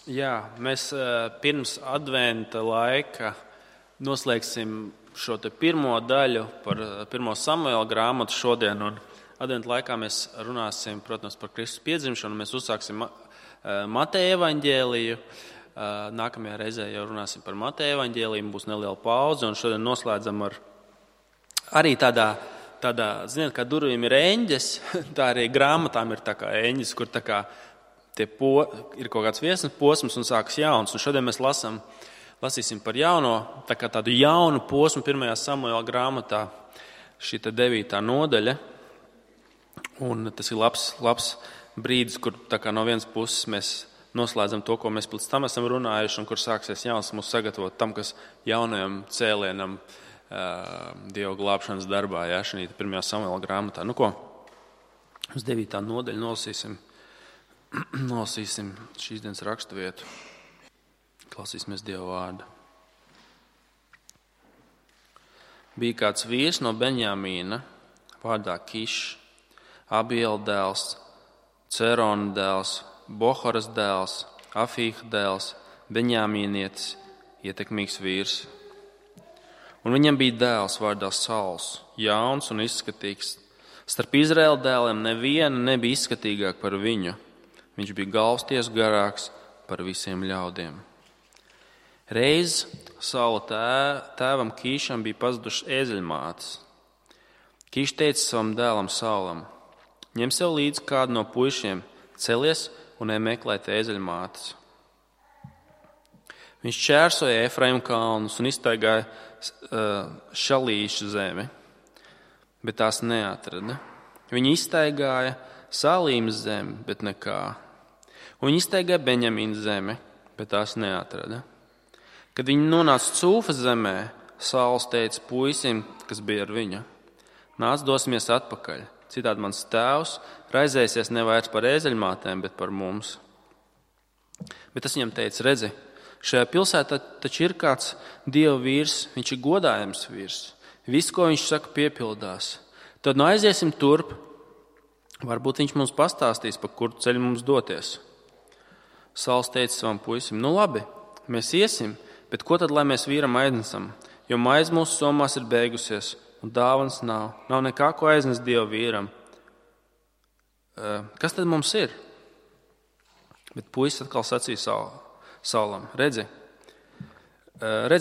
Jā, mēs pirms adventa laika noslēgsim šo te pirmo daļu par 1. Samuēla grāmatu šodien. Un adventa laikā mēs runāsim, protams, par Kristus piedzimšanu. Mēs uzsāksim Mateja evaņģēliju. Nākamajā reizē jau runāsim par Mateja evaņģēliju. Būs neliela pauze, un šodien noslēdzam ar arī tādā ziniet, kā durvīm ir eņģes, tā arī grāmatām ir tā kā eņģes, kur tā kā ir kaut kāds viesnes posms un sākas jauns. Un šodien mēs lasīsim par tādu jaunu posmu 1. Samuēla grāmatā, šī 9. nodaļa. Un tas ir labs brīdis, kur tā kā no vienas puses mēs noslēdzam to, ko mēs līdz tam esam runājuši, un kur sāksies jauns mūs sagatavot tam, kas jaunajam cēlienam Dieva glābšanas darbā, šī 1. Samuēla grāmatā. Nu ko, uz 9. nodaļu nolasīsim šīs dienas raksturvietu. Klausīsimies Dieva vārdu. Bija kāds vīrs no Benjamīna, vārdā Kišs, Abiela dēls, Cerona dēls, Bohoras dēls, Afīha dēls, Benjamīnietis, ietekmīgs vīrs. Un viņam bija dēls vārdā Sauls, jauns un izskatīgs. Starp Izraēla dēliem neviena nebija izskatīgāk par viņu. Viņš bija galvsties garāks par visiem ļaudiem. Reiz Saula tēvam Kīšam bija pazudušas ēzeļmātes. Kīšs teica savam dēlam Saulam: ņem sev līdzi kādu no puišiem, celies un ej meklēt ēzeļmātes. Viņš čērsoja Efraimu kalnus un iztaigāja Šalīšu zemi, bet tās neatrada. Viņi iztaigāja Salīmas zemi, bet nekā. Un viņi iztaigāja Benjamīna zemi, bet tās neatrada. Kad viņi nonāca Cūfas zemē, Sauls teica puisim, kas bija ar viņu: nāc, dosimies atpakaļ, citādi mans tēvs raizēsies nevairs par ēzeļmātēm, bet par mums. Bet tas viņam teica: redzi, šajā pilsētā taču ir kāds Dieva vīrs, viņš ir godājams vīrs. Viss, ko viņš saka, piepildās. Tad nu aiziesim turp, varbūt viņš mums pastāstīs, pa kuru ceļu mums doties. Sauls teica savam puisim: nu labi, mēs iesim, bet ko tad, lai mēs vīram aiznesam? Jo maize mūsu somās ir beigusies, un dāvans nav. Nav nekā, ko aiznest Dieva vīram. Kas tad mums ir? Bet puisis atkal sacīja Saulam: redzi,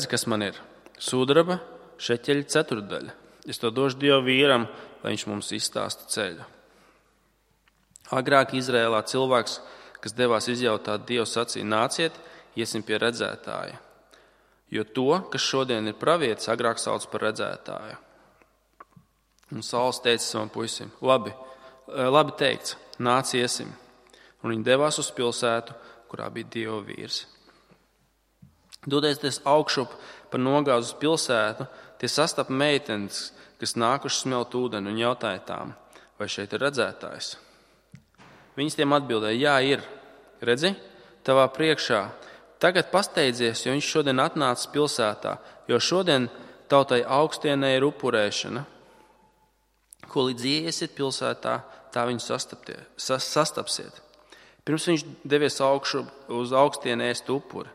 kas man ir. Sudraba šeķeļa ceturdaļa. Es to došu Dieva vīram, lai viņš mums izstāsta ceļu. Agrāk Izrēlā cilvēks, kas devās izjautāt Dievu, sacīja: nāciet, iesim pie redzētāja. Jo to, kas šodien ir pravietis, agrāk sauc par redzētāju. Un Sauls teica savam puisim: labi teikts, nāc, iesim. Un viņi devās uz pilsētu, kurā bija Dieva vīrs. Dodoties augšup pa nogāzu uz pilsētu, tie sastapa meitenes, kas nākušas smelt ūdeni, un jautāja tām: vai šeit ir redzētājs? Viņas tiem atbildēja: jā, ir. Redzi, tavā priekšā. Tagad pasteidzies, jo viņš šodien atnācis pilsētā, jo šodien tautai augstienē ir upurēšana. Ko līdz ieiesiet pilsētā, tā viņu sastapsiet. Pirms viņš devies augšu uz augstienu ēst upuri.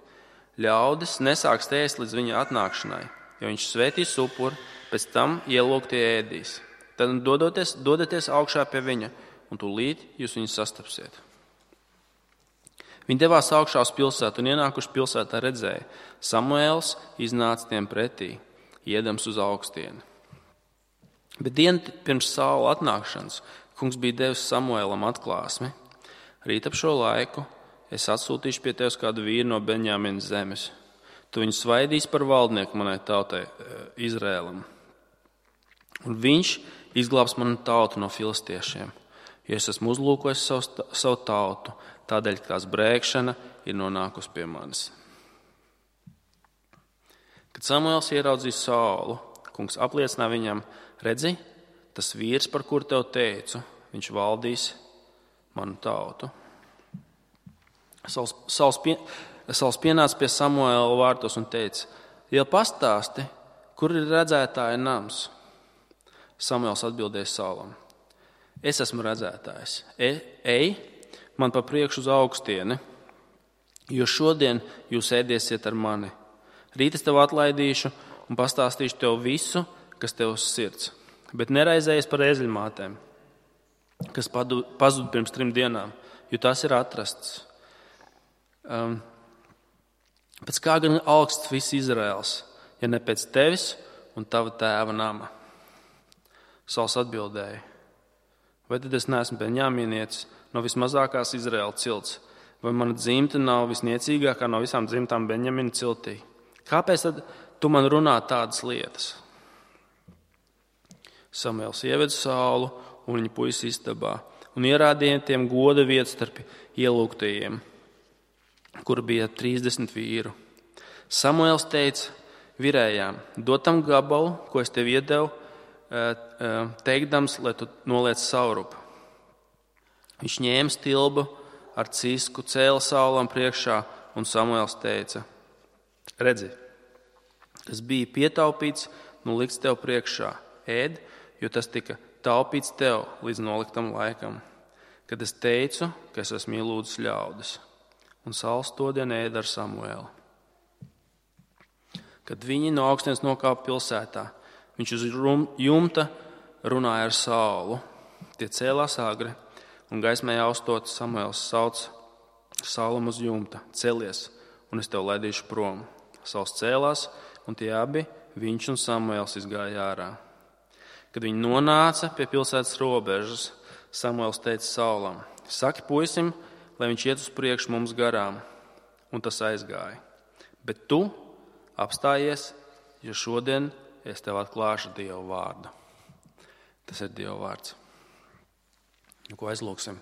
Ļaudis nesāks ēst līdz viņa atnākšanai, jo viņš svētīs upuri, pēc tam ielūgtie ēdīs. Tad dodaties augšā pie viņa, un tūlīt jūs viņu sastapsiet. Viņi devās augšā uz pilsētu, un ienākuši pilsētā redzēja: Samuēls iznāca tiem pretī, iedams uz augstieni. Bet dienu pirms Saula atnākšanas kungs bija devis Samuēlam atklāsmi: rīt ap šo laiku es atsūtīšu pie tevis kādu vīru no Benjamīna zemes. Tu viņu svaidīsi par valdnieku manai tautai Izrēlam. Un viņš izglābs manu tautu no filistiešiem, jo es esmu uzlūkojis savu tautu, tādēļ, ka tās brēkšana ir nonākusi pie manis. Kad Samuēls ieraudzīja Saulu, kungs apliecināja viņam: redzi, tas vīrs, par kuru tev teicu, viņš valdīs manu tautu. Sauls pienāca pie Samuēla vārtos un teica: ja pastāsti, kur ir redzētāja nams? Samuēls atbildēja Saulam: es esmu redzētājs. Ej, man pa priekšu uz augstieni. jo šodien jūs ēdiesiet ar mani. Rīt es tev atlaidīšu un pastāstīšu tev visu, kas tev uz sirds. Bet neraizējies par ēzeļmātēm, kas pazuda pirms 3 dienām, jo tas ir atrasts. Pēc kā gan augsts viss Izraels, ja ne pēc tevis un tava tēva nama? Sauls atbildēja: vai tad es neesmu Beņjamīnietis no vismazākās Izraēla cilts? Vai mana dzimta nav visniecīgākā no visām dzimtām Beņjamina ciltī? Kāpēc tad tu man runā tādas lietas? Samuēls ieveda Saulu un viņa puisi istabā un ierādīja tiem goda vietu starp ielūgtajiem, kur bija 30 vīru. Samuēls teica virējām: dod tam gabalu, ko es tev iedevu, teikdams, lai tu noliec saurupu. Viņš ņēma stilbu ar cisku, cēla Saulam priekšā, un Samuēls teica: redzi, tas bija pietaupīts, nu liks tev priekšā, ēd, jo tas tika taupīts tev līdz noliktam laikam, kad es teicu, ka es esmu ielūdzis ļaudis. Un Sauls to dienu ēda ar Samuēlu. Kad viņi no augstienes nokāpa pilsētā, viņš uz jumta runāja ar Saulu. Tie cēlās agri, un gaismai austot Samuēls sauc Saulam uz jumta: celies, un es tev laidīšu prom. Sauls cēlās, un tie abi, viņš un Samuēls, izgāja ārā. Kad viņi nonāca pie pilsētas robežas, Samuēls teica Saulam: saki puisim, lai viņš iet uz priekšu mums garām, un tas aizgāja. Bet tu apstājies, jo šodien es tev atklāšu Dieva vārdu. Tas ir Dieva vārds. Ko aizlūksim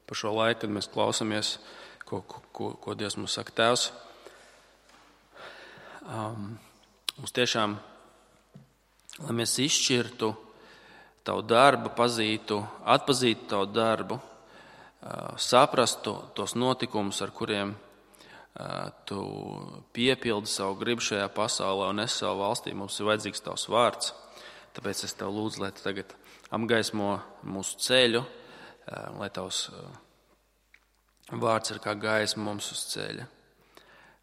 par šo laiku, kad mēs klausamies, ko Dievs mums saka. Tēvs, mums tiešām, lai mēs izšķirtu tavu darbu, atpazītu tavu darbu, saprastu tos notikumus, ar kuriem tu piepildi savu gribu šajā pasaulē un esi savu valstī. Mums ir vajadzīgs tavs vārds. Tāpēc es tev lūdzu, lai tu tagad apgaismo mūsu ceļu, lai tavs vārds ir kā gaisma mums uz ceļa.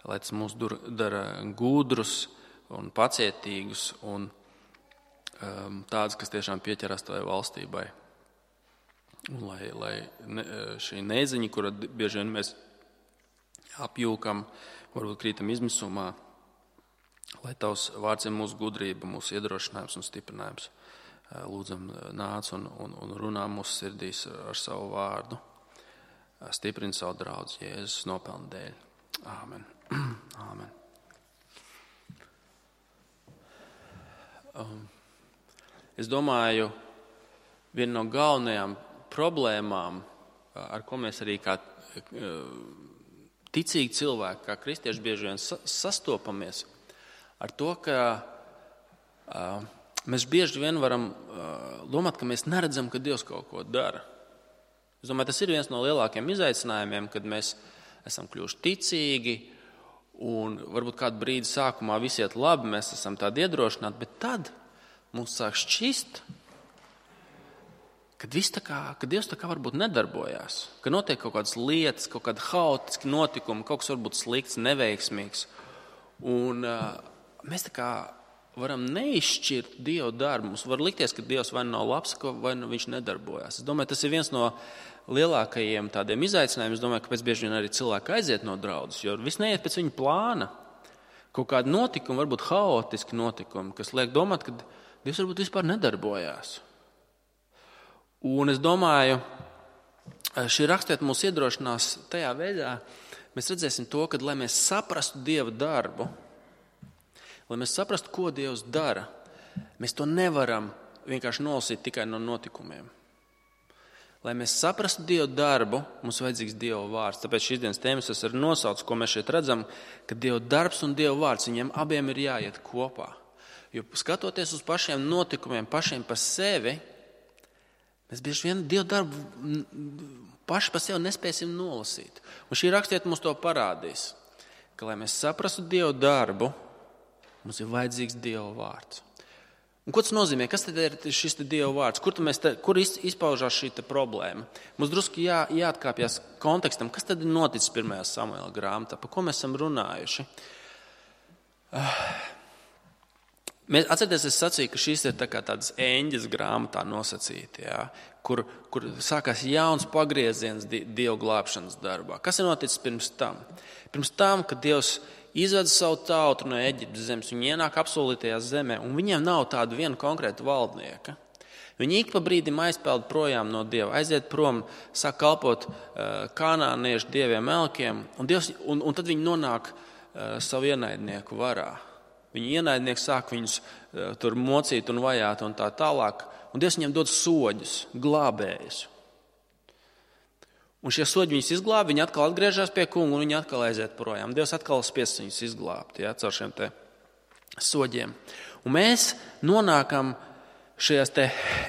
Lai tas mūs dara gudrus un pacietīgus un tādus, kas tiešām pieķerās tavai valstībai. Un lai šī neziņa, kura bieži vien mēs apjūkam, varbūt krītam izmisumā, lai tavs vārds ir mūsu gudrība, mūsu iedrošinājums un stiprinājums. Lūdzam, nāc un runā mūsu sirdīs ar savu vārdu. Stiprini savu draudzi Jēzus nopelnu dēļ. Āmen. Āmen. Es domāju, viena no galvenajām problēmām, ar ko mēs arī kā ticīgi cilvēki, kā kristieši bieži vien sastopamies, ar to, ka mēs bieži vien varam domāt, ka mēs neredzam, ka Dievs kaut ko dara. Es domāju, tas ir viens no lielākiem izaicinājumiem, kad mēs esam kļuvuši ticīgi un varbūt kādu brīdi sākumā viss iet labi, mēs esam tādi iedrošināti, bet tad mums sāk šķist, ka Dievs tā kā varbūt nedarbojās, ka notiek kaut kādas lietas, kaut kāda haotiski notikumi, kaut kas varbūt slikts, neveiksmīgs. Un mēs tā kā varam neizšķirt Dieva darbu. Mums var likties, ka Dievs vai nav labs, vai viņš nedarbojās. Es domāju, tas ir viens no lielākajiem tādiem izaicinājumiem. Es domāju, ka pēc bieži vien arī cilvēki aiziet no draudzes, jo viss neiet pēc viņa plāna. Kaut kādi notikumi, varbūt haotiski notikumi, kas liek domāt, ka Dievs varbūt vispār nedarbojās. Un es domāju, šī rakstiet mūs iedrošinās tajā veidā, mēs redzēsim to, ka, lai mēs saprastu Dieva darbu, lai mēs saprastu, ko Dievs dara, mēs to nevaram vienkārši nolasīt tikai no notikumiem. Lai mēs saprastu Dieva darbu, mums vajadzīgs Dieva vārds. Tāpēc šīs dienas tēmas es arī nosaucu, ko mēs šeit redzam, ka Dieva darbs un Dieva vārds, viņiem abiem ir jāiet kopā. Jo skatoties uz pašiem notikumiem, pašiem par sevi, mēs bieži vien Dieva darbu paši par sevi nespēsim nolasīt. Un šī rakstiet mums to parādīs, ka, lai mēs saprastu Dieva darbu, mums ir vajadzīgs Dieva vārds. Un ko tas nozīmē? Kas tad ir šis Dieva vārds? Kur izpaužās šī problēma? Mums drusku jāatkāpjas kontekstam, kas tad ir noticis 1. Samuēla grāmatā, par ko mēs esam runājuši. Atcerieties, es sacīju, ka šīs ir tādas eņģes grāmatā nosacīti, ja, kur sākās jauns pagrieziens Dieva glābšanas darbā. Kas ir noticis pirms tam? Pirms tam, kad Dievs izved savu tautu no Eģiptes zemes, viņi ienāk apsolītajā zemē, un viņiem nav tāda viena konkrēta valdnieka. Viņi ik pa brīdim aizpeld projām no Dieva, aiziet prom, sāk kalpot kanāniešu dieviem elkiem, un tad viņi nonāk savu ienaidnieku varā. Viņa ienaidnieki sāk viņus tur mocīt un vajāt un tā tālāk. Un Dievs viņiem dod soģus, glābējus. Un šie soģi viņus izglāb, viņi atkal atgriežas pie kunga un viņi atkal aiziet projām. Dievs atkal spiest viņus izglābt, ja, caur šiem te soģiem. Un mēs nonākam šajās te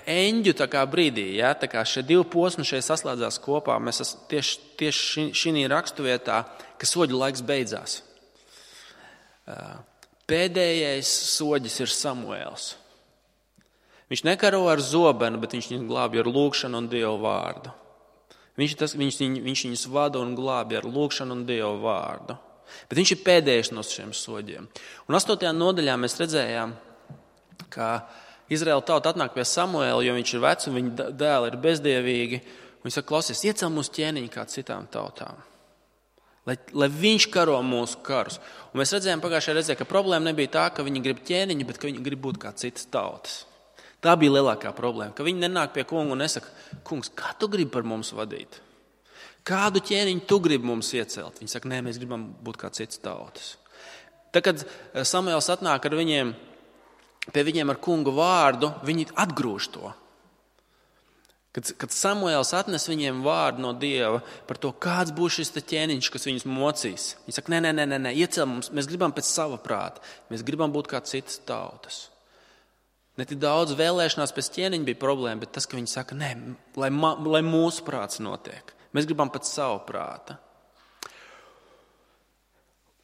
eņģu tā kā brīdī, ja, tā kā šie divi posmi šeit saslēdzās kopā. Mēs esam tieši šī raksturvietā, ka soģu laiks beidzās. Pēdējais soģis ir Samuēls. Viņš nekaro ar zobenu, bet viņš viņus glābj ar lūgšanu un Dieva vārdu. Viņš viņus vada un glābj ar lūgšanu un Dieva vārdu. Bet viņš ir pēdējais no šiem soģiem. Un 8. nodaļā mēs redzējām, ka Izraēla tauta atnāk pie Samuēla, jo viņš ir vecs un viņa dēli ir bezdievīgi. Viņš saka, klausies, iecel mūsu ķēniņu kā citām tautām. Lai viņš karo mūsu karus. Un mēs redzējām pagājušajā reizē, ka problēma nebija tā, ka viņi grib ķēniņu, bet ka viņi grib būt kā citas tautas. Tā bija lielākā problēma, ka viņi nenāk pie kunga un nesaka, kungs, kā tu gribi par mums vadīt? Kādu ķēniņu tu gribi mums iecelt? Viņi saka, nē, mēs gribam būt kā citas tautas. Tad, kad Samuēls atnāk pie viņiem ar kunga vārdu, viņi atgrūž to. Kad Samuēls atnes viņiem vārdu no Dieva par to, kāds būs šis ķēniņš, kas viņus mocīs. Viņi saka, nē, iecel mums, mēs gribam pēc sava prāta, mēs gribam būt kā citas tautas. Ne tik daudz vēlēšanās pēc ķēniņa bija problēma, bet tas, ka viņi saka, nē, lai mūsu prāts notiek. Mēs gribam pēc sava prāta.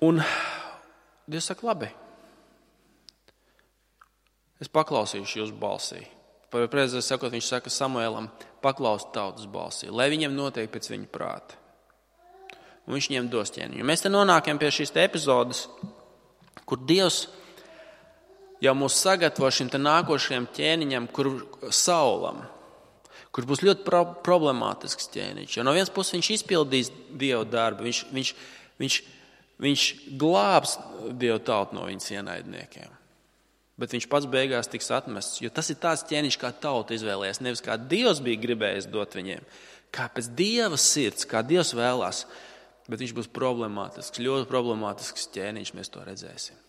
Un Dievs saka, labi, es paklausīšu jūsu balsī. Precīzāk sakot, viņš saka Samuēlam, paklaus tautas balsī, lai viņiem notiek pēc viņa prāta. Un viņš viņiem dos ķēniņu. Mēs te nonākam pie šīs te epizodes, kur Dievs jau mūs sagatavo šim te nākošajam ķēniņam, Saulam, kur būs ļoti problemātisks ķēniņš. Jo no vienas puses viņš izpildīs Dieva darbu, viņš glābs Dieva tautu no viņas ienaidniekiem. Bet viņš pats beigās tiks atmests, jo tas ir tāds ķēniņš, kā tauta izvēlējās, nevis kā Dievs bija gribējis dot viņiem, kā pēc Dieva sirds, kā Dievs vēlās, bet viņš būs problemātisks, ļoti problemātisks ķēniņš, mēs to redzēsim.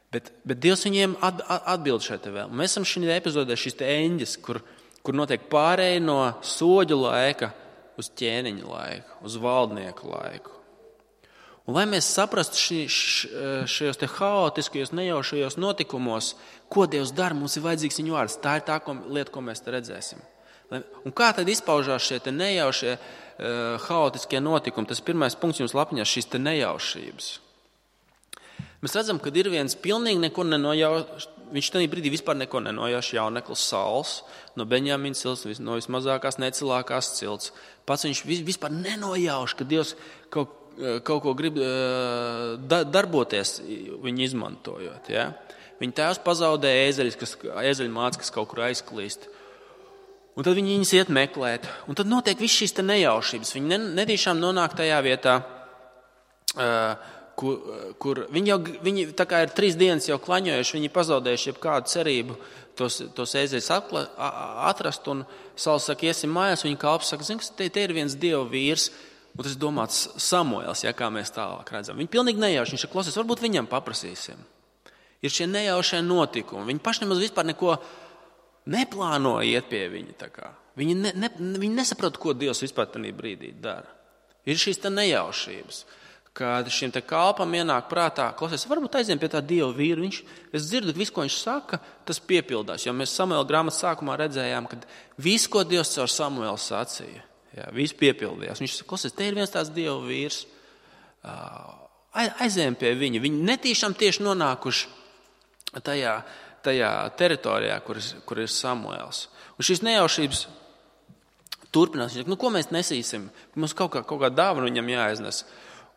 Bet Dievs viņiem atbild šai te vēl. Mēs esam šī epizodē šis te eņģis, kur notiek pārēja no soģu laika uz ķēniņa laiku, uz valdnieku laiku. Un lai mēs saprastu šajos te haotiskajos, nejaušajos notikumos, ko Dievs dara, mums ir vajadzīgs viņa vārds. Tā ir tā lieta, ko mēs te redzēsim. Un kā tad izpaužās šie te nejaušie, haotiskie notikumi? Tas pirmais punkts jums lapņās, šīs te nejaušības. Mēs redzam, ka ir viens pilnīgi neko nenojauš, viņš tajā brīdī vispār neko nenojauš jauneklis Sauls, no Beņjamina cilts, no vismazākās, necilākās cilts. Pats viņš vispār nenojauš, ka Dievs kaut ko grib darboties, viņu izmantojot. Ja? Viņa tēvs pazaudē ēzeļu mātes, kas kaut kur aizklīst. Un tad viņi viņus iet meklēt. Un tad notiek viss šīs te nejaušības. Viņi netīšām nonāk tajā vietā, kur viņi tā kā ir 3 dienas jau klaņojuši, viņi pazaudējuši jebkādu cerību tos ēzeļus atrast. Un Sauls saka, iesim mājās, viņa kalps saka, zini, te ir viens Dieva vīrs, un tas ir domāts Samuēls, ja, kā mēs tālāk redzam. Viņi pilnīgi nejauši, viņš saka, klausies, varbūt viņam paprasīsim. Ir šie nejaušie notikumi. Viņi paši nemaz vispār neko neplānoja iet pie viņa. Tā kā. Viņi nesaprot, ko Dievs vispār tajā brīdī dara. Ir šīs te nejaušības, kad šim te kalpam ienāk prātā, klausies, varbūt aiziem pie tā Dieva vīra. Es dzirdu, ka viss, ko viņš saka, tas piepildās. Jo mēs Samuēla grāmatas sākumā redzējām, ka viss, ko Dievs caur Samuēlu sacīja, jā, viss piepildījās. Viņš saka, klausies, te ir viens tāds Dieva vīrs. Aizējām pie viņa. Viņi netīšām tieši nonākuši tajā teritorijā, kur ir Samuēls. Un šīs nejaušības turpinās. Viņš saka, ko mēs nesīsim? Mums kaut kā dāvana viņam jāiznes.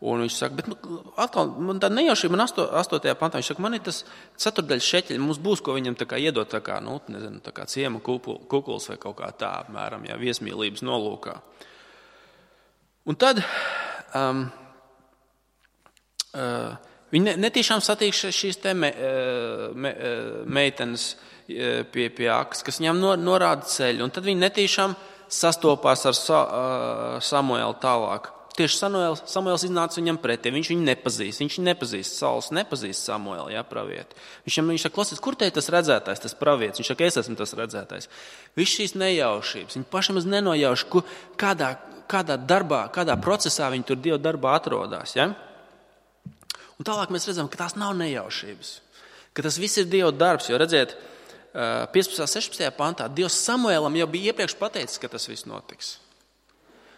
Un viņš saka, bet atkal, man tā nejaušība, man 8. pantā, viņš saka, man ir tas 4 šeķeļi, mums būs, ko viņam tā kā iedot, tā kā, nezinu, tā kā ciema kukuls vai kaut kā tā, apmēram, viesmīlības nolūkā. Un tad viņi netīšām satiek šīs te meitenes pie akas, kas viņām norāda ceļu, un tad viņi netīšām sastopās ar Samuēlu tālāk. Tieši Samuēls iznāca viņam pretī, viņš viņu nepazīst, Sauls nepazīst Samuēlu, pravieti. Viņš saka, klausies, kur te ir tas redzētājs, tas pravietis? Viņš saka, es esmu tas redzētājs. Viss šīs nejaušības, viņi pašam nenojauš, kādā darbā, kādā procesā viņi tur Dieva darbā atrodas. Ja? Un tālāk mēs redzam, ka tās nav nejaušības, ka tas viss ir Dieva darbs, jo redziet, 15. 16. pantā Dievs Samuēlam jau bija iepriekš pateicis, ka tas viss notiks.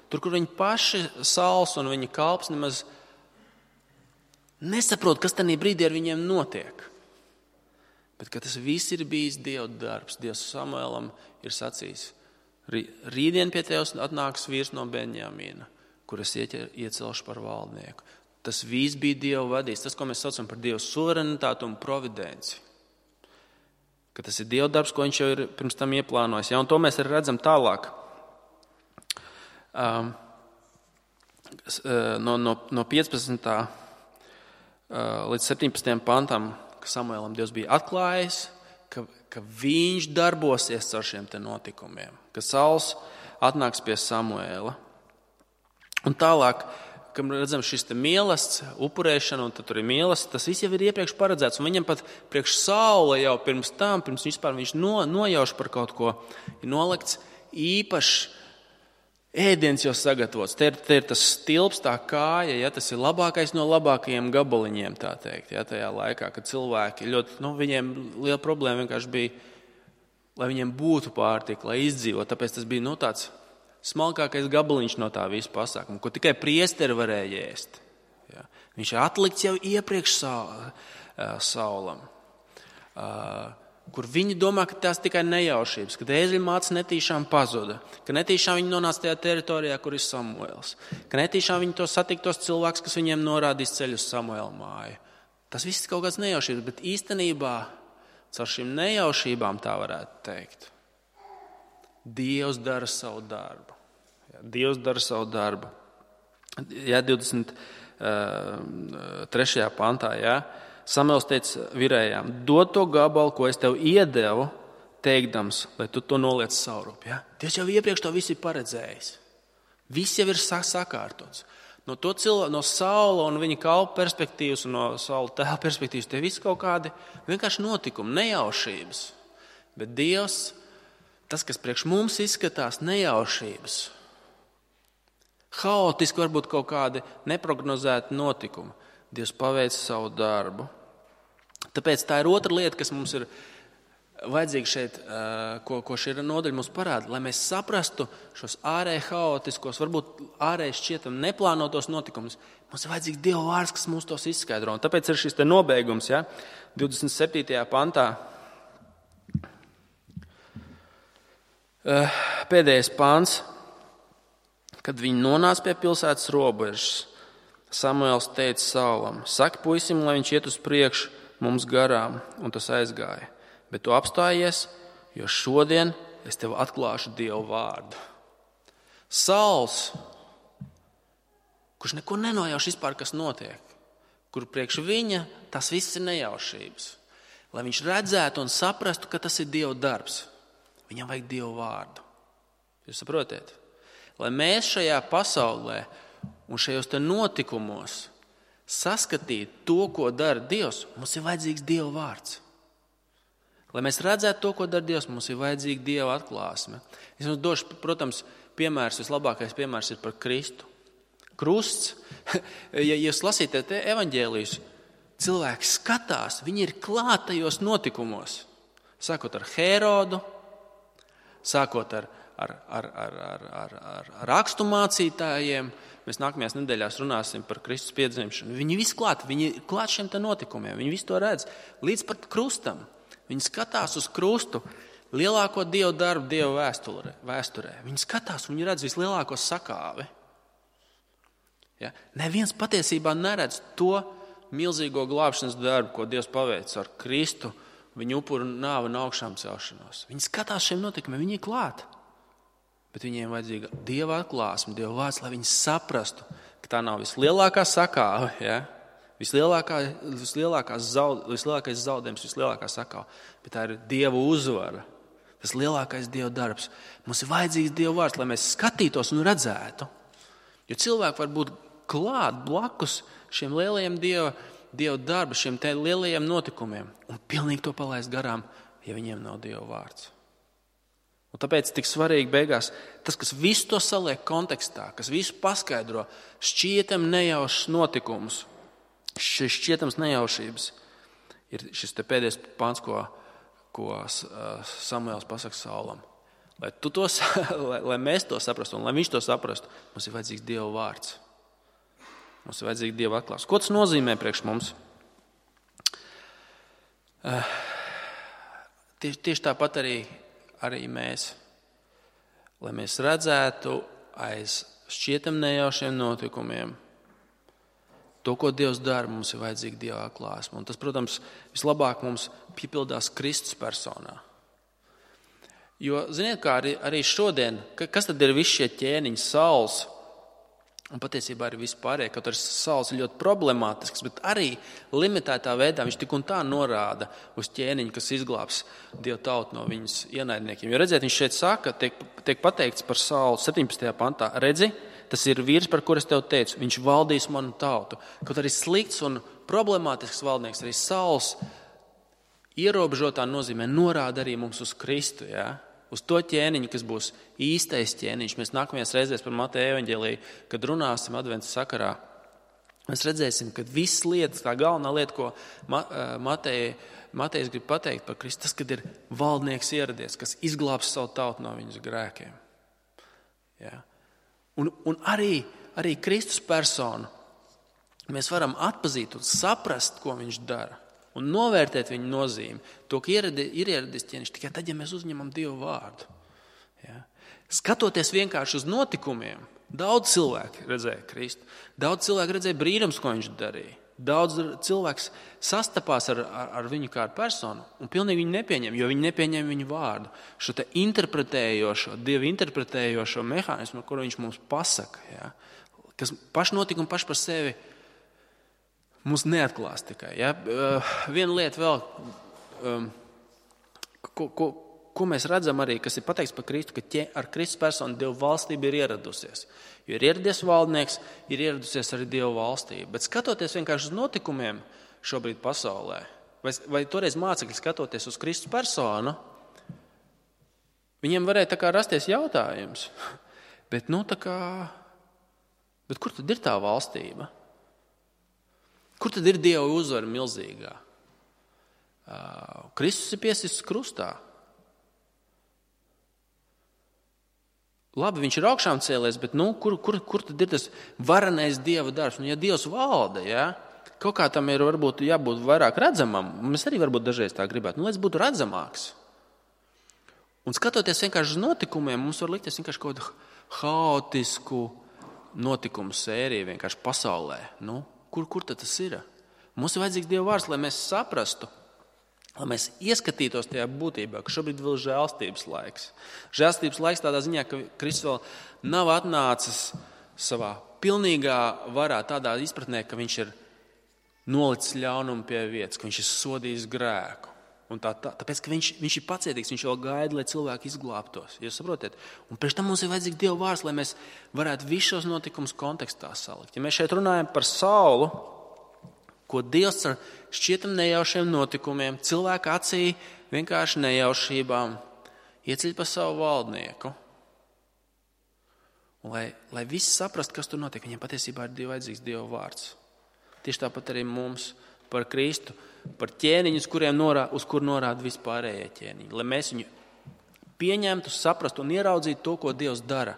Tur, kur viņi paši, Sauls un viņa kalps, nemaz nesaprot, kas tajā brīdī ar viņiem notiek. Bet ka tas viss ir bijis Dieva darbs. Dievs Samuēlam ir sacījis, rītdien pie tevis atnāks vīrs no Benjamīna, kuras iecelšu par valdnieku. Tas viss bija Dieva vadīts. Tas, ko mēs saucam par Dieva suverenitāti un providenci. Ka tas ir Dieva darbs, ko viņš jau ir pirms tam ieplānojis. Ja? Un to mēs arī redzam tālāk. No 15. Līdz 17. pantam, ka Samuēlam Dievs bija atklājis, ka viņš darbosies ar šiem te notikumiem, ka Sauls atnāks pie Samuēla. Un tālāk, kad redzam šis te mielasts, upurēšana, un tad tur ir mielasts, tas viss jau ir iepriekš paredzēts, un viņam pat priekš Saula jau pirms vispār viņš nojauš par kaut ko, ir nolikts īpašs ēdiens jau sagatavots. Te ir tas stilps, tā kāja, ja, tas ir labākais no labākajiem gabaliņiem, tā teikt, ja, tajā laikā, kad cilvēki ļoti, viņiem liela problēma vienkārši bija, lai viņiem būtu pārtika, lai izdzīvot, tāpēc tas bija, tāds smalkākais gabaliņš no tā visa pasākuma, ko tikai priesteri varēja ēst. Ja. Viņš ir atlikts jau iepriekš Saulam. Kur viņi domā, ka tās tikai nejaušības, ka ēzeļu māca netīšām pazuda, ka netīšām viņi nonāca tajā teritorijā, kur ir Samuēls, ka netīšām viņi to satiktos cilvēks, kas viņiem norādīs ceļu uz Samuēla māju. Tas viss ir kaut kāds nejaušības, bet īstenībā caur šīm nejaušībām tā varētu teikt. Dievs dara savu darbu. Ja, Dievs dara savu darbu. Ja, 23. pantā, ja. Samuēls teica virējām, dod to gabalu, ko es tev iedevu, teikdams, lai tu to noliec saurup. Ja? Dievs jau iepriekš to visu ir paredzējis. Viss jau ir sakārtots. No Saula un viņa kalpa perspektīvas un no Saula tēla perspektīvas tie visi kaut kādi vienkārši notikumi, nejaušības. Bet Dievs, tas, kas priekš mums izskatās nejaušības, haotiski varbūt kaut kādi neprognozēti notikumi, Dievs paveic savu darbu. Tāpēc tā ir otra lieta, kas mums ir vajadzīga šeit, ko šī nodaļa mums parāda, lai mēs saprastu šos ārēji haotiskos, varbūt ārēji šķietam neplānotos notikumus. Mums ir vajadzīgs Dieva vārds, kas mums tos izskaidro. Un tāpēc ir šis te nobeigums, 27. pantā. Pēdējais pants, kad viņi nonāca pie pilsētas robežas, Samuēls teica Saulam, saki puisim, lai viņš iet uz priekšu mums garām, un tas aizgāja. Bet tu apstājies, jo šodien es tev atklāšu Dievu vārdu. Sauls, kurš neko nenojauš vispār, kas notiek, kur priekš viņa tas viss ir nejaušības. Lai viņš redzētu un saprastu, ka tas ir Dieva darbs. Viņam vajag Dievu vārdu. Jūs saprotiet? Lai mēs šajā pasaulē un šajos te notikumos saskatīt to, ko dara Dievs, mums ir vajadzīgs Dieva vārds. Lai mēs redzētu to, ko dara Dievs, mums ir vajadzīga Dieva atklāsme. Es jums došu, protams, piemērs, vislabākais piemērs ir par Kristu. Krusts, ja jūs lasīsiet evaņģēlijus, cilvēki skatās, viņi ir klātajos notikumos. Sākot ar Hērodu, sākot ar rakstu mācītājiem. Mēs nākamajās nedēļās runāsim par Kristus piedzimšanu. Viņi visi klāt, viņi ir klāt šiem te notikumiem, viņi visu to redz. Līdz pat krustam. Viņi skatās uz krustu, lielāko Dieva darbu Dieva vēsturē. Viņi skatās un viņi redz vislielāko sakāvi. Ja? Neviens patiesībā neredz to milzīgo glābšanas darbu, ko Dievs paveic ar Kristu, viņu upuru nāvi un augšām celšanos. Viņi skatās šiem notikumiem, viņi ir klāt. Bet viņiem vajadzīga Dieva atklāsme, Dieva vārds, lai viņi saprastu, ka tā nav vislielākā sakāve, ja? Vislielākais zaudējums, vislielākā sakāve, bet tā ir Dieva uzvara. Tas lielākais Dieva darbs. Mums ir vajadzīgs Dieva vārds, lai mēs skatītos un redzētu. Jo cilvēki var būt klāt blakus šiem lielajiem Dieva darba, šiem te lielajiem notikumiem un pilnīgi to palaist garām, ja viņiem nav Dieva vārds. Un tāpēc tik svarīgi beigās tas, kas visu to saliek kontekstā, kas visu paskaidro, šķietam nejaušs notikums, šis šķietams nejaušības, ir šis te pēdējais pants, ko Samuēls pasaka Saulam. Lai mēs to saprastu un lai viņš to saprastu, mums ir vajadzīgs Dieva vārds. Mums ir vajadzīga Dieva atklāsme. Ko tas nozīmē priekš mums? Tieši tāpat arī mēs. Lai mēs redzētu aiz šķietam nejaušiem notikumiem to, ko Dievs dara, mums ir vajadzīga Dieva atklāsme. Un tas, protams, vislabāk mums piepildās Kristus personā. Jo, ziniet kā, arī šodien, kas tad ir visi šie ķēniņi, Sauls, un patiesībā arī vispārējie, kaut arī Sauls ir ļoti problemātisks, bet arī limitētā veidā viņš tik un tā norāda uz ķēniņu, kas izglābs Dieva tautu no viņas ienaidniekiem. Jo redziet, viņš šeit saka, tiek pateikts par Saulu 17. pantā, redzi, tas ir vīrs, par kur es tev teicu, viņš valdīs manu tautu. Kaut arī slikts un problemātisks valdnieks, arī Sauls ierobežotā nozīmē norāda arī mums uz Kristu, ja? Uz to ķēniņu, kas būs īstais ķēniņš. Mēs nākamajās reizēs par Mateja evaņģēliju, kad runāsim adventa sakarā, mēs redzēsim, ka visas lietas, tā galvenā lieta, ko Matejs grib pateikt par Kristu, tas, kad ir valdnieks ieradies, kas izglābs savu tautu no viņas grēkiem. Ja? Un arī Kristus personu mēs varam atpazīt un saprast, ko viņš dara. Un novērtēt viņa nozīmi. To, ka ir ieradies ķēniņš tikai tad, ja mēs uzņemam Dievu vārdu. Ja? Skatoties vienkārši uz notikumiem, daudz cilvēku redzēja Kristu. Daudz cilvēku redzēja brīnums, ko viņš darīja. Daudz cilvēks sastapās ar viņu kā ar personu un pilnīgi viņu nepieņem, jo viņi nepieņem viņu vārdu. Šo te Dievu interpretējošo mehānismu, kuru viņš mums pasaka. Ja? Kas paši notikumi paši par sevi mums neatklās tikai. Ja? Viena lieta vēl, ko mēs redzam arī, kas ir pateikts par Kristu, ka ar Kristus personu Dieva valstība ir ieradusies. Jo ir ieradies valdnieks, ir ieradusies arī Dieva valstība. Bet skatoties vienkārši uz notikumiem šobrīd pasaulē, vai toreiz mācekļi skatoties uz Kristus personu, viņiem varēja tā kā rasties jautājums. Bet kur tad ir tā valstība? Kur tad ir Dieva uzvara milzīgā? Kristus ir piesists krustā. Labi, viņš ir augšām cēlies, bet kur tad ir tas varenais Dieva darbs? Ja Dievs valda, ja, kaut kā tam ir varbūt jābūt vairāk redzamam, mēs arī varbūt dažreiz tā gribētu, lai tas būtu redzamāks. Un skatoties vienkārši uz notikumiem, mums var likties vienkārši kaut kādu haotisku notikumu sēriju vienkārši pasaulē. Kur tad tas ir? Mums ir vajadzīgs Dieva vārds, lai mēs saprastu, lai mēs ieskatītos tajā būtībā, ka šobrīd vēl ir žēlstības laiks. Žēlstības laiks tādā ziņā, ka Kristus vēl nav atnācis savā pilnīgā varā, tādā izpratnē, ka viņš ir nolicis ļaunumu pie vietas, ka viņš ir sodījis grēku. Un tāpēc, ka viņš ir pacietīgs, viņš vēl gaida, lai cilvēki izglābtos. Jūs saprotiet? Un pēc tam mums ir vajadzīgs Dieva vārds, lai mēs varētu visus šos notikumus kontekstā salikt. Ja mēs šeit runājam par Saulu, ko Dievs ar šķietam nejaušiem notikumiem, cilvēka acī vienkārši nejaušībām ieceļ pa savu valdnieku. Un lai visi saprast, kas tur notiek, viņiem patiesībā ir vajadzīgs Dieva vārds. Tieši tāpat arī mums par Kristu, par ķēniņus, uz kur norāda vispārējie ķēniņi. Lai mēs viņu pieņemtu, saprastu un ieraudzītu to, ko Dievs dara.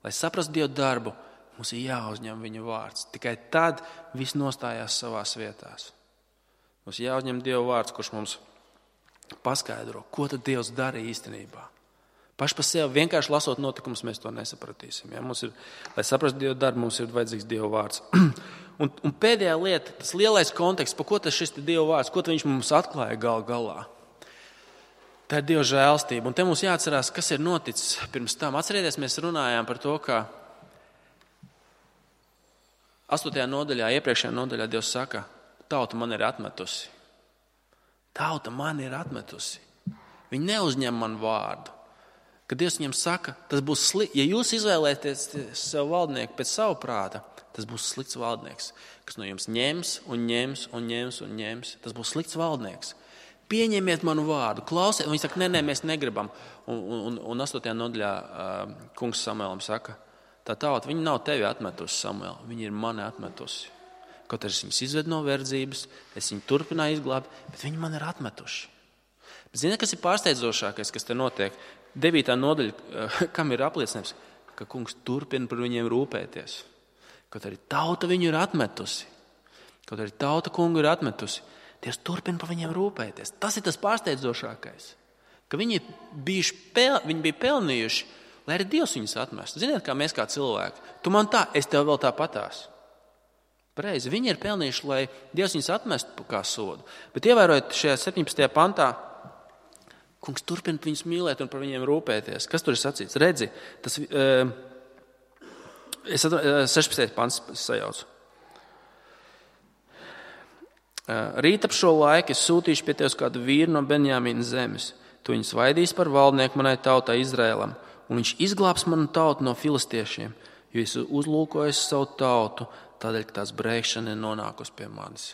Lai saprastu Dieva darbu, mums ir jāuzņem viņa vārds. Tikai tad viss nostājās savās vietās. Mums jāuzņem Dieva vārds, kurš mums paskaidro, ko tad Dievs dara īstenībā. Paši par sevi vienkārši lasot notikumus, mēs to nesapratīsim. Ja? Lai saprastu Dievu darbu, mums ir vajadzīgs Dieva vārds. un pēdējā lieta, tas lielais konteksts, par ko tas šis Dieva vārds, ko viņš mums atklāja galā. Tā ir Dieva žēlstība. Un te mums jāatcerās, kas ir noticis pirms tam. Atcerieties, mēs runājām par to, ka 8. nodaļā, iepriekšējā nodaļā Dievs saka, tauta man ir atmetusi. Tauta man ir atmetusi. Viņi neuzņem man vārdu. Kad Dievs viņam saka, tas būs slikti. Ja jūs izvēlēties sev valdnieku pēc savu prāta, tas būs slikts valdnieks, kas no jums ņems un ņems un ņems un ņems. Tas būs slikts valdnieks. Pieņemiet manu vārdu, klausiet. Un viņi saka, nē, mēs negribam. Un 8. nodaļā kungs Samuēlam saka, tā tauta, viņi nav tevi atmetusi, Samuēl, viņi ir mani atmetusi. Kaut arī es viņus izvedu no verdzības, es viņu turpināju izglābt, bet viņi man ir atmetuši. Bet ziniet, kas ir pārsteidzošākais, kas te notiek? 9. nodaļa, kam ir apliecinājums, ka kungs turpina par viņiem rūpēties. Kaut arī tauta viņu ir atmetusi. Kaut arī tauta kungu ir atmetusi. Dievs turpina par viņiem rūpēties. Tas ir tas pārsteidzošākais. Ka viņi bija pelnījuši, lai arī Dievs viņus atmestu. Ziniet, kā mēs kā cilvēki. Tu man tā, es tev vēl tāpatās. Pareizi, viņi ir pelnījuši, lai Dievs viņus atmestu kā sodu. Bet ievērojot šajā 17. pantā, kungs turpina viņus mīlēt un par viņiem rūpēties. Kas tur ir sacīts? Redzi, tas 16. pants sajaucu. Rīt ap šo laiku es sūtīšu pie tevis kādu vīru no Benjamīna zemes. Tu viņus vaidīs par valdnieku manai tautai Izraēlam, un viņš izglābs manu tautu no filistiešiem, jo es uzlūkoju savu tautu, tādēļ, ka tās brēkšana ir nonākusi pie manis.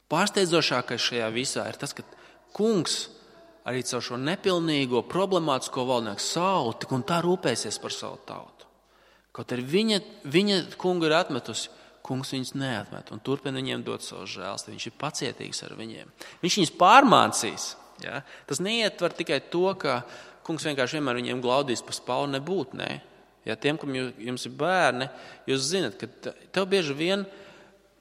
Pārsteidzošākais šajā visā ir tas, ka kungs arī caur šo nepilnīgo, problemātisko valdnieku Saulu tik un tā rūpēsies par savu tautu. Kaut arī viņa kungu ir atmetusi, kungs viņus neatmet un turpina viņiem dot savu žēlstību. Viņš ir pacietīgs ar viņiem. Viņš viņus pārmācīs. Ja? Tas neietver tikai to, ka kungs vienkārši vienmēr viņiem glaudīs pa spalvu nebūt. Ne? Ja, tiem, kam jums ir bērni, jūs zinat, ka tev bieži vien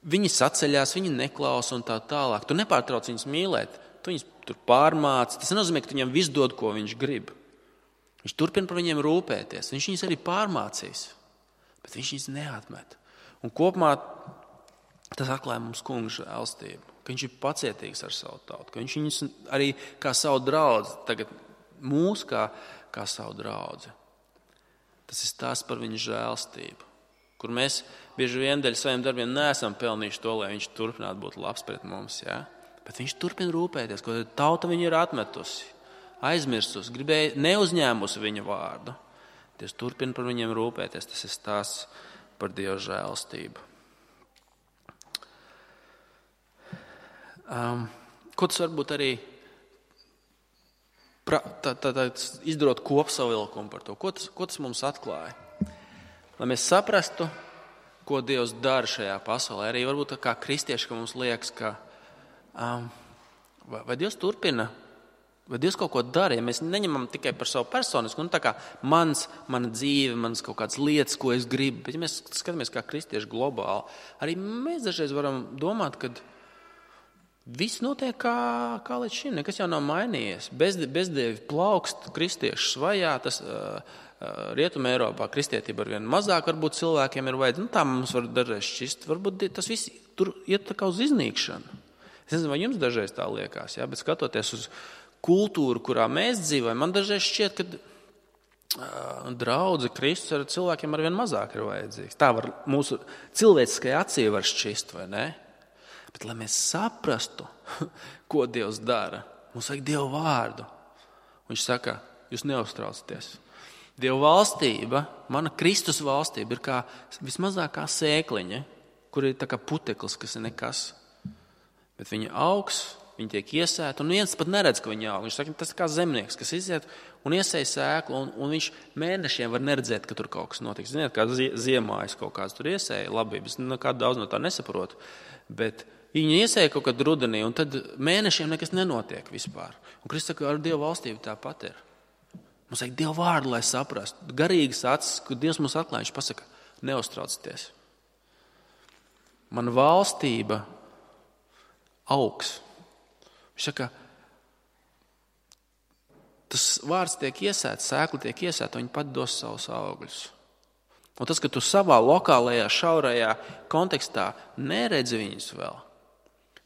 viņi saceļās, viņi neklausa un tā tālāk. Tu nepārtrauc viņus mīlēt, tu viņus tur pārmāc. Tas nenozīmē, ka tu viņam visu dod, ko viņš grib. Viņš turpina par viņiem rūpēties. Viņš viņus arī pārmācīs, bet viņš viņus neatmet. Un kopumā tas atklāja mums kunga žēlstību, ka viņš ir pacietīgs ar savu tautu, ka viņš viņus arī kā savu draudzi, tagad mūs kā savu draudzi. Tas ir stāsts par viņa žēlstību, kur mēs bieži vien dēļ saviem darbiem neesam pelnījuši to, lai viņš turpinātu būt labs pret mums. Ja? Bet viņš turpina rūpēties, ko tauta viņu ir atmetusi, aizmirstusi, gribēja neuzņēmusi viņa vārdu. Dievs turpina par viņiem rūpēties. Tas ir stāsts par Dieva žēlstību. Ko tas varbūt arī izdarot kopsavilkumu par to? Ko tas mums atklāja? Lai mēs saprastu, ko Dievs dara šajā pasaulē. Arī varbūt kā kristieši, ka mums liekas, ka vai Dievs turpina, vai Dievs kaut ko dara, ja mēs neņemam tikai par savu personisku, tā kā mana dzīve, manas kaut kādas lietas, ko es gribu, bet ja mēs skatāmies kā kristieši globāli, arī mēs dažreiz varam domāt, ka viss notiek kā līdz šim, nekas jau nav mainījies. Bezdievi plaukst, kristieši svajā, tas Rietumē Eiropā kristietība ar vien mazāk varbūt cilvēkiem ir vajadzīga. Tā mums var dažreiz šķist, varbūt tas viss tur iet tā kā uz iznīkšanu. Es nezinu, vai jums dažreiz tā liekas, ja? Bet skatoties uz kultūru, kurā mēs dzīvojam, man dažreiz šķiet, ka draudze Kristus ar cilvēkiem ar vien mazāk ir vajadzīgs. Tā var mūsu cilvēciskai acī var šķist, vai ne? Bet, lai mēs saprastu, ko Dievs dara, mums vajag Dieva vārdu. Viņš saka, jūs neuztraucaties. Dieva valstība, mana Kristus valstība ir kā vismazākā sēkliņa, kur ir tā kā puteklis, kas ir nekas. Bet viņa augs, viņa tiek iesēta, un viens pat neredz, ka viņa aug. Viņš saka, tas ir kā zemnieks, kas iziet un iesēja sēklu, un viņš mēnešiem var neredzēt, ka tur kaut kas notiks. Ziniet, kā ziemājas kaut kāds tur iesēja labības, nekādu daudz no tā nesaprotu. Bet viņi iesēja kaut kad rudenī, un tad mēnešiem nekas nenotiek vispār. Un Kristus saka, ar Dieva valstību tāpat ir. Mums vajag Dieva vārdu, lai saprastu. Garīgas acis, kad Dievs mums atklāja, viņš pasaka, neuztraucieties. Mana valstība augs. Viņš saka, tas vārds tiek iesēts, sēkla tiek iesēta, viņi pat dos savus augļus. Un tas, ka tu savā lokālajā, šaurajā kontekstā neredzi viņus vēl,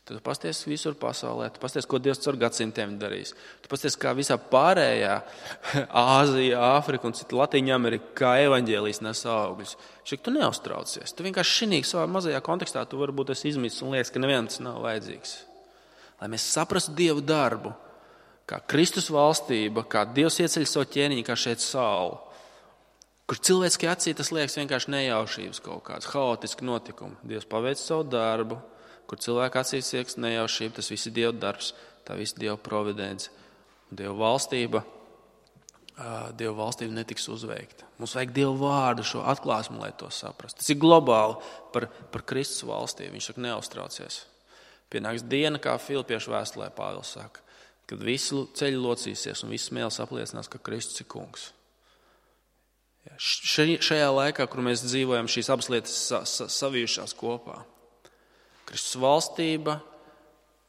tad tu pasties visur pasaulē, tu pasties, ko Dievs caur gadsimtiem darīs. Tu pasties, kā visā pārējā Āzija, Āfrika un cita Latīņa Amerika, kā evaņģēlijs nes augļus. Šeit tu neuztraucies. Tu vienkārši šinīgi savā mazajā kontekstā, tu varbūt esi izmisis un liekas, ka nevienam tas nav vajadzīgs. Lai mēs saprastu Dievu darbu, kā Kristus valstība, kā Dievs ieceļ savu ķēniņu, kā šeit saule, kur cilvēciskajā acī tas liekas vienkārši nejaušības kaut kāds, haotiski notikumi. Dievs paveic savu darbu, kur cilvēka acīs liekas nejaušība, tas viss ir Dieva darbs, tā viss Dieva providence. Dieva valstība netiks uzveikta. Mums vajag Dieva vārdu, šo atklāsmu, lai to saprast. Tas ir globāli par Kristus valstību. Viņš saka, neuztraucies. Pienāks diena, kā Filipiešu vēstulē Pāvils saka, kad visi ceļi locīsies un visi smēles apliecinās, ka Kristus ir kungs. Šajā laikā, kur mēs dzīvojam, šīs abas lietas savijušās kopā. Kristus valstība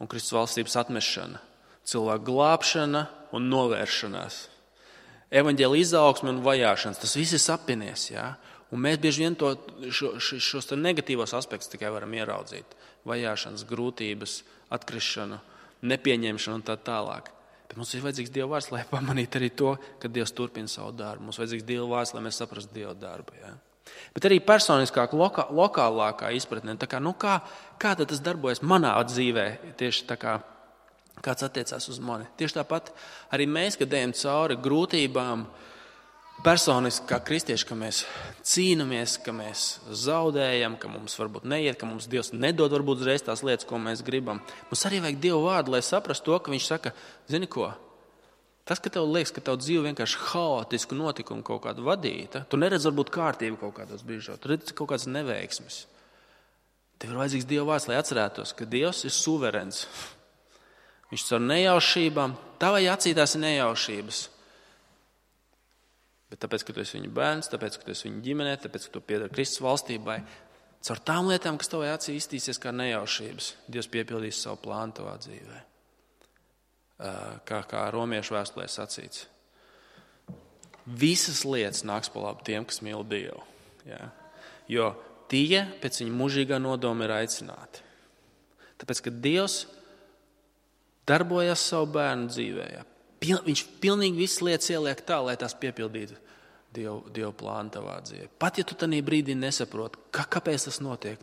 un Kristus valstības atmešana, cilvēku glābšana un novēršanās, evaņģēlija izaugsme un vajāšanas, tas viss ir sapinies, ja? Un mēs bieži vien šos negatīvos aspektus tikai varam ieraudzīt. Vajāšanas, grūtības, atkrišanu, nepieņemšanu un tā tālāk. Bet mums ir vajadzīgs Dieva vārds, lai pamanītu arī to, ka Dievs turpina savu darbu. Mums ir vajadzīgs Dieva vārds, lai mēs saprastu Dieva darbu. Ja? Bet arī personiskāk, lokālākā izpratnē, kā tad tas darbojas manā dzīvē, tieši tā kā kāds attiecās uz mani. Tieši tāpat arī mēs, kad ejam cauri grūtībām, personiski kā kristieši, ka mēs cīnamies, ka mēs zaudējam, ka mums varbūt neiet, ka mums Dievs nedod varbūt uzreiz tās lietas, ko mēs gribam. Mums arī vajag Dieva vārdu, lai saprastu to, ka viņš saka, zini ko, tas, ka tev liekas, ka tev dzīve vienkārši haotisku notikumu kaut kādu vadīta, tu neredz varbūt kārtību kaut kādos brīžos, tu redz kaut kādas neveiksmes. Tev ir vajadzīgs Dieva vārds, lai atcerētos, ka Dievs ir suverens. Viņš caur nejaušībām, tavai acī tās ir nejaušības. Bet tāpēc, ka tu esi viņa bērns, tāpēc, ka tu esi viņa ģimenē, tāpēc, ka tu piedari Kristus valstībai, caur tām lietām, kas tavai acī iztīsies kā nejaušības, Dievs piepildīs savu plānu tavā dzīvē. Kā romiešu vēstulē sacīts. Visas lietas nāks pa labu tiem, kas mīl Dievu. Ja? Jo tie pēc viņa mūžīgā nodoma ir aicināti. Tāpēc, ka Dievs darbojas savu bērnu dzīvē. Ja? Viņš pilnīgi visas lietas ieliek tā, lai tās piepildītu Dievu plānu tavā dzīvē. Pat ja tu tanī brīdī nesaproti, kāpēc tas notiek,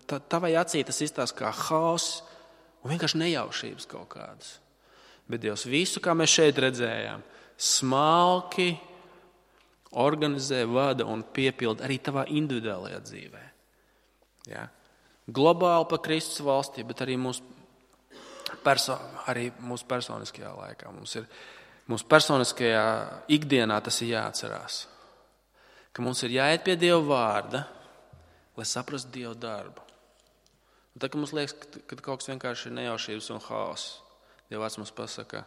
tavai acī tas izstāsta kā haoss un vienkārši nejaušības kaut kādas. Bet Dievs visu, kā mēs šeit redzējām, smalki organizē, vada un piepilda arī tavā individuālajā dzīvē. Ja? Globāli pa Kristus valstī, bet arī mūsu personiskajā laikā. Mūsu personiskajā ikdienā tas ir jāatcerās. Ka mums ir jāiet pie Dieva vārda, lai saprastu Dieva darbu. Un tā, ka mums liekas, ka kaut kas vienkārši ir nejaušības un haoss, Dieva vārds mums pasaka,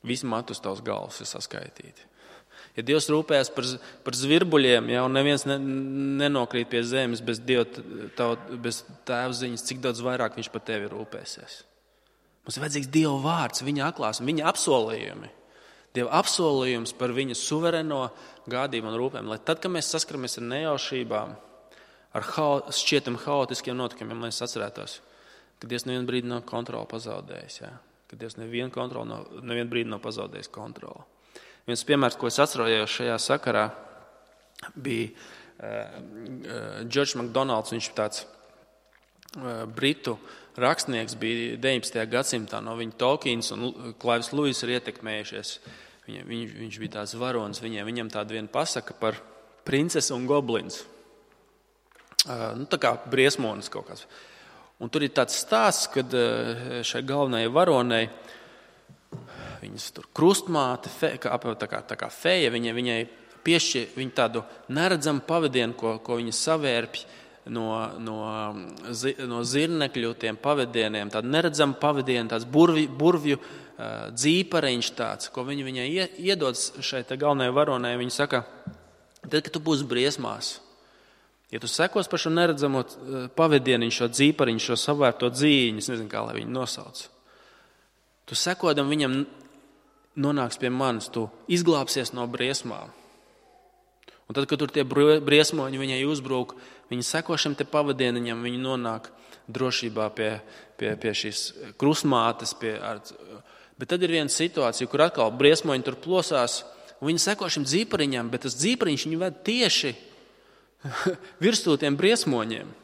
visi mati uz tavas galvas ir saskaitīti. Ja Dievs rūpējas par zvirbuļiem, ja, un neviens nenokrīt pie zemes bez tēva ziņas, cik daudz vairāk viņš par tevi rūpēsies. Mums ir vajadzīgs Dieva vārds, viņa atklāsme, viņa apsolījumi. Dieva apsolījums par viņa suvereno gādību un rūpēm, lai tad, kad mēs saskaramies ar nejaušībām, ar šķietam haotiskiem notikumiem, lai mēs atcerētos, ka Dievs nevienu brīdi nav kontroli pazaudējis. Ja? Ka Dievs nevienu brīdi nav pazaudējis kontroli. Viens piemērs, ko es atcerējos šajā sakarā, bija George MacDonalds. Viņš tāds britu rakstnieks bija 19. gadsimtā. No viņa Tolkiens un Klaivs Luis ir ietekmējušies. Viņš bija tāds varonis. Viņam tāda viena pasaka par princesi un goblins. Tā kā briesmonis kaut kāds. Un tur ir tāds stāsts, kad šai galvenajai varonei viņas tur krustmāte, tā kā feja, viņai piešķir viņu tādu neredzamu pavadienu, ko viņa savērpj no zirnekļu tiem pavadieniem, tādu neredzamu pavadienu, tāds burvju dzīpariņš tāds, ko viņai iedod šai galvenajai varonei. Viņa saka, tad, kad tu būsi briesmās, ja tu sekos par šo neredzamo pavadienu, šo dzīpariņu, šo savērto dzīņu, es nezinu, kā lai viņu nosauc, Tu sekodam viņam nonāks pie manis, tu izglābsies no briesmām. Un tad, kad tur tie briesmoņi viņai uzbrūk, viņi seko šim te pavadieniņam, viņi nonāk drošībā pie šīs krustmātes. Bet tad ir viena situācija, kur atkal briesmoņi tur plosās, un viņi seko šim dzīpariņam, bet tas dzīpariņš viņu ved tieši virsū tiem briesmoņiem.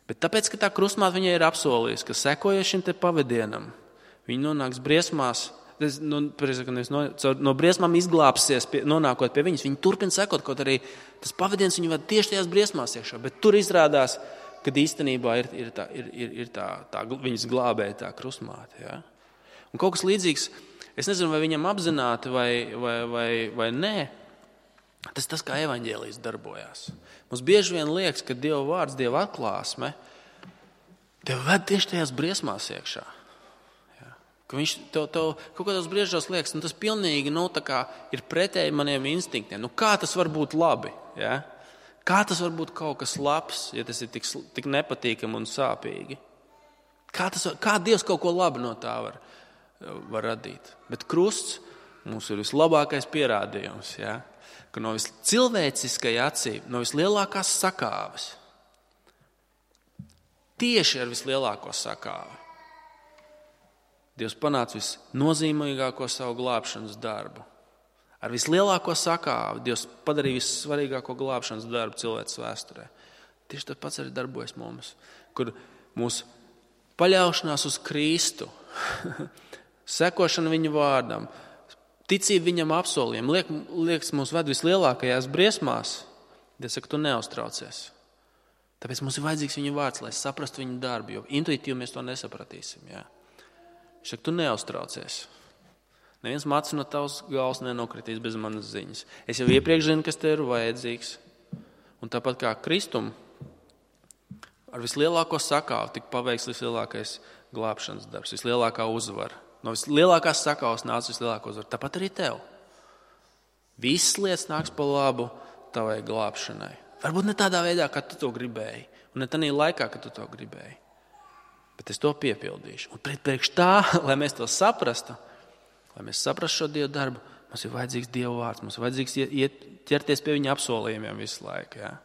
Bet tāpēc, ka tā krustmāte viņai ir apsolījusi, ka sekoja šim te pavadienam, viņi nonāks briesmās, no briesmām izglābsies, nonākot pie viņas. Viņi turpina sekot, kaut arī tas pavadiens viņu ved tieši tajās briesmās iekšā. Bet tur izrādās, ka īstenībā ir tā viņas glābēja tā krustmāte. Ja? Un kaut kas līdzīgs, es nezinu, vai viņam apzināti vai nē, tas kā evaņģēlijs darbojās. Mums bieži vien liekas, ka Dieva vārds, Dieva atklāsme, tev ved tieši tajās briesmās iekšā. Ka viņš tev kaut kādos brīžos liekas, tas pilnīgi ir pretēji maniem instinktiem. Kā tas var būt labi? Ja? Kā tas var būt kaut kas labs, ja tas ir tik nepatīkami un sāpīgi? Kā Dievs kaut ko labu no tā var radīt? Bet krusts mums ir vislabākais pierādījums, ja? Ka no cilvēciskai acī, no vislielākās sakāves, tieši ar vislielāko sakāvi, Dievs panāca visnozīmīgāko savu glābšanas darbu. Ar vislielāko sakāvi Dievs padarīja vissvarīgāko glābšanas darbu cilvēces vēsturē. Tieši tas pats arī darbojas mums, kur mūsu paļaušanās uz Kristu, sekošana viņa vārdam, ticība viņam apsolījumam, liekas mums ved vislielākajās briesmās. Dievs saka, tu neuztraucies. Tāpēc mums ir vajadzīgs viņa vārds, lai saprastu viņa darbu, jo intuitīvi mēs to nesapratīsim. Jā. Viņš saka, tu neuztraucies. Neviens macis no tavas galvas nenokritīs bez manas ziņas. Es jau iepriekš zinu, kas tev ir vajadzīgs. Un tāpat kā Kristum, ar vislielāko sakāvu tika paveikts vislielākais glābšanas darbs, vislielākā uzvara. No vislielākās sakāvas nāca vislielākā uzvara. Tāpat arī tev. Visas lietas nāks pa labu tavai glābšanai. Varbūt ne tādā veidā, kā tu to gribēji. Un ne tādā laikā, kad tu to gribēji. Bet es to piepildīšu. Un priekš tā, lai mēs to saprastu, lai mēs saprastu šo Dieva darbu, mums ir vajadzīgs Dieva vārds. Mums ir vajadzīgs ķerties pie viņa apsolījumiem visu laiku. Ja?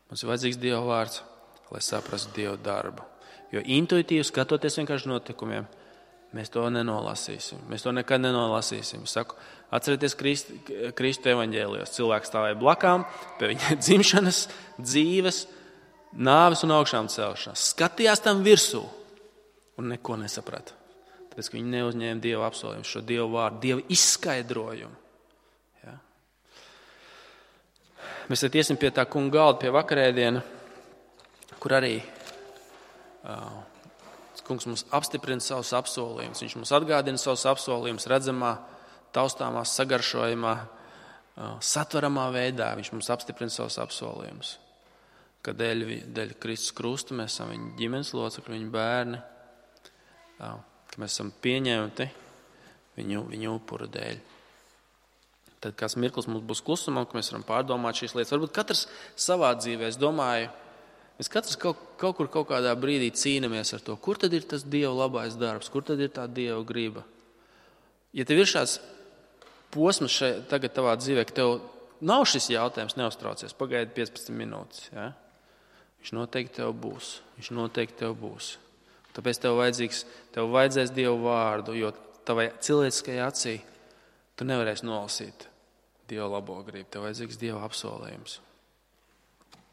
Mums ir vajadzīgs Dieva vārds, lai saprastu Dieva darbu. Jo intuitīvi skatoties vienkārši notikumiem, mēs to nenolasīsim. Mēs to nekad nenolasīsim. Es saku, atcerieties Kristu evaņģēlijos. Cilvēks stāvēja blakām pie viņa dzimšanas, dzīves, nāves un augšām celšanās. Skatījās tam virsū un neko nesaprata. Tāpēc, ka viņi neuzņēma Dieva apsolījumu, šo Dieva vārdu, Dieva izskaidrojumu. Ja? Mēs tad iesim pie tā kunga galda, pie vakarēdiena, kur arī kungs mums apstiprina savus apsolījumus. Viņš mums atgādina savus apsolījumus redzamā, taustāmā, sagaršojumā, satveramā veidā. Viņš mums apstiprina savus apsolījumus. Ka dēļ Kristus krusta mēs esam viņa ģimenes locekļi, viņa bērni, ka mēs esam pieņemti viņu upura dēļ. Tad kāds mirklis mums būs klusumā, ka mēs varam pārdomāt šīs lietas. Varbūt katrs savā dzīvē, es domāju, mēs katrs kaut kur kaut kādā brīdī cīnamies ar to, kur tad ir tas Dieva labais darbs, kur tad ir tā Dieva griba. Ja tev ir šāds posms tagad tavā dzīvē, ka tev nav šis jautājums, neuztraucies, pagaidi 15 minūtes. Ja? Viņš noteikti tev būs. Viņš noteikti tev būs. Tāpēc tev vajadzēs Dieva vārdu, jo tavai cilvēciskajai acī tu nevarēsi nolasīt Dieva labo gribu. Tev vajadzīgs Dieva apsolījums.